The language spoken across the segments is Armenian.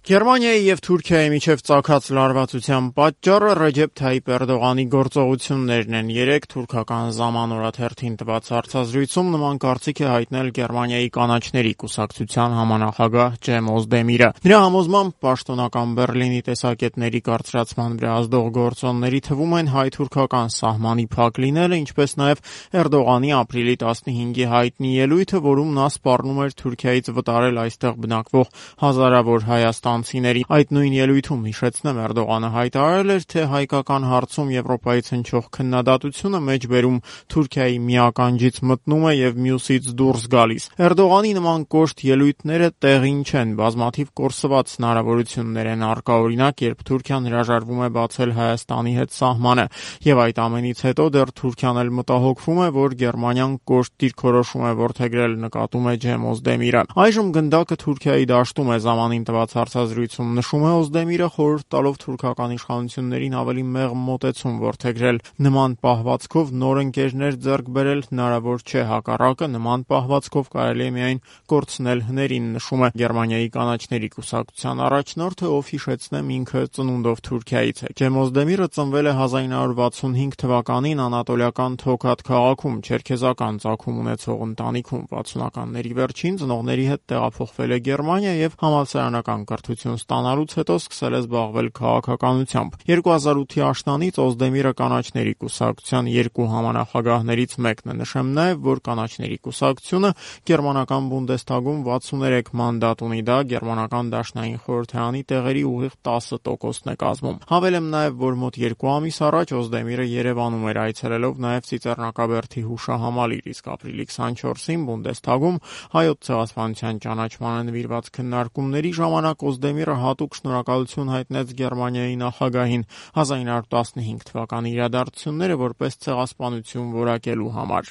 Գերմանիայի եւ Թուրքիայի միջև ծագած լարվածության պատճառը Ռեջեփ Թայիփ Էրդողանի գործողություններն են։ Երեկ թուրքական «Zaman» օրաթերթին տված հարցազրույցում նման կարծիք է հայտնել Գերմանիայի կանաչների կուսակցության համանախագահ Ջեմ Օզդեմիրը։ Նրա համոզմամբ պաշտոնական Բեռլինի տեսակետների կարծրացման վրա ազդող գործոնների թվում են հայ-թուրքական սահմանի փակ լինելը, ինչպես նաեւ Էրդողանի ապրիլի 15-ի հայտնի ելույթը, որում նա սպառնում էր Թուրքիայից վտարել այստեղ բնակվող հազարավոր հայաստանցիների։ Այդ նույն ելույթում, հիշեցնեմ, Էրդողանը հայտարարել էր, թե հայկական հարցում Եվրոպայից հնչող քննադատությունը մեջբերում Թուրքիայի միականջից մտնում է եւ մյուսից դուրս գալիս։ Էրդողանի նման կոշտ ելույթները տեղին չեն, բազմաթիվ կորսված հնարավորություններ են առկա, օրինակ, երբ Թուրքիան հրաժարվում է բացել Հայաստանի հետ սահմանը, եւ այդ ամենից հետո դեռ Թուրքիան էլ մտահոգվում է, որ Գերմանիան կոշտ դիրքորոշում է որդեգրել, նկատում է Ջեմ Օզդեմիրը։ Այժմ գնդակը Թուրքիայի դաշտում է, Zamanին տված հարցազրույցում նշում է Օզդեմիրը, խորհուրդ տալով թուրքական իշխանություններին ավելի մեղմ մոտեցում որդեգրել։ Նման պահվածքով նոր ընկերներ ձեռք բերել հնարավոր չէ, հակառակը նման պահվածքով կարելի է միայն կորցնել հներին, նշում է Գերմանիայի կանաչների կուսակցության առաջնորդը, ով, հիշեցնեմ, ինքը ծնունդով Թուրքիայից է։ Ջեմ Օզդեմիրը ծնվել է 1965 թվականին անատոլիական Թոքաթ քաղաքում, չերքեզական ծագում ունեցող ընտանիքում։ 60-ականների վերջին ծնողների հետ տեղափոխվել է Գերմանիա եւ համալսարանական կրթություն ստանալուց հետո սկսել է զբաղվել քաղաքականությամբ։ 2008-ի աշնանից Օզդեմիրը կանաչների կուսակցության երկու համանախագահներից մեկն է։ Նշեմ նաեւ, որ կանաչների կուսակցությունը գերմանական Բունդեսթագում 63 մանդատ ունի, դա գերմանական դաշնային խորհրդարանի տեղերի ուղիղ 10%-ն է կազմում։ Հավելեմ նաեւ, որ մոտ 2 ամիս առաջ Օզդեմիրը Երևանում էր, այցելելով նաեւ Ծիծեռնակաբերդի հուշահամալիր, իսկ ապրիլի 24-ին Բունդեսթագում հայոց ցեղասպանության ճանաչմանը նվիրված քննարկումների ժամանակ Օզդեմիրը հատուկ շնորհակալություն հայտնեց Գերմանիայի նախագահին 1915 թվականի իրադարձությունները որպես ցեղասպանություն որակելու համար։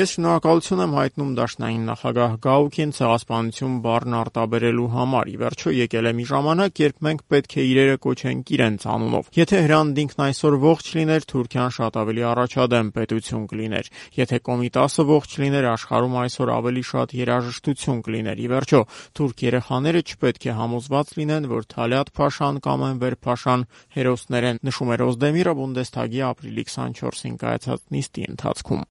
Ես շնորհակալություն եմ հայտնում դաշնային նախագահ Գաուկին ցեղասպանություն բառն արտաբերելու համար։ Ի վերջո եկել է մի ժամանակ, երբ մենք պետք է իրերը կոչենք իրենց անունով։ Եթե Հրանդինքն այսօր ողջ լիներ, Թուրքիան շատ ավելի առաջադեմ պետություն կլիներ։ Եթե Կոմիտասը ողջ լիներ, աշխարհում այսօր ավելի շատ երաժշտություն կլիներ։ Ի վերջո, թուրք երեխաները չպետք է համոզված լինեն, որ Թալյատ Փաշան կամ Էնվեր Փաշան հերոսներ են, նշում էր Օզդեմիրը Բունդեսթագի ապրիլի 24-ին կայացած նիստի ընթացքում։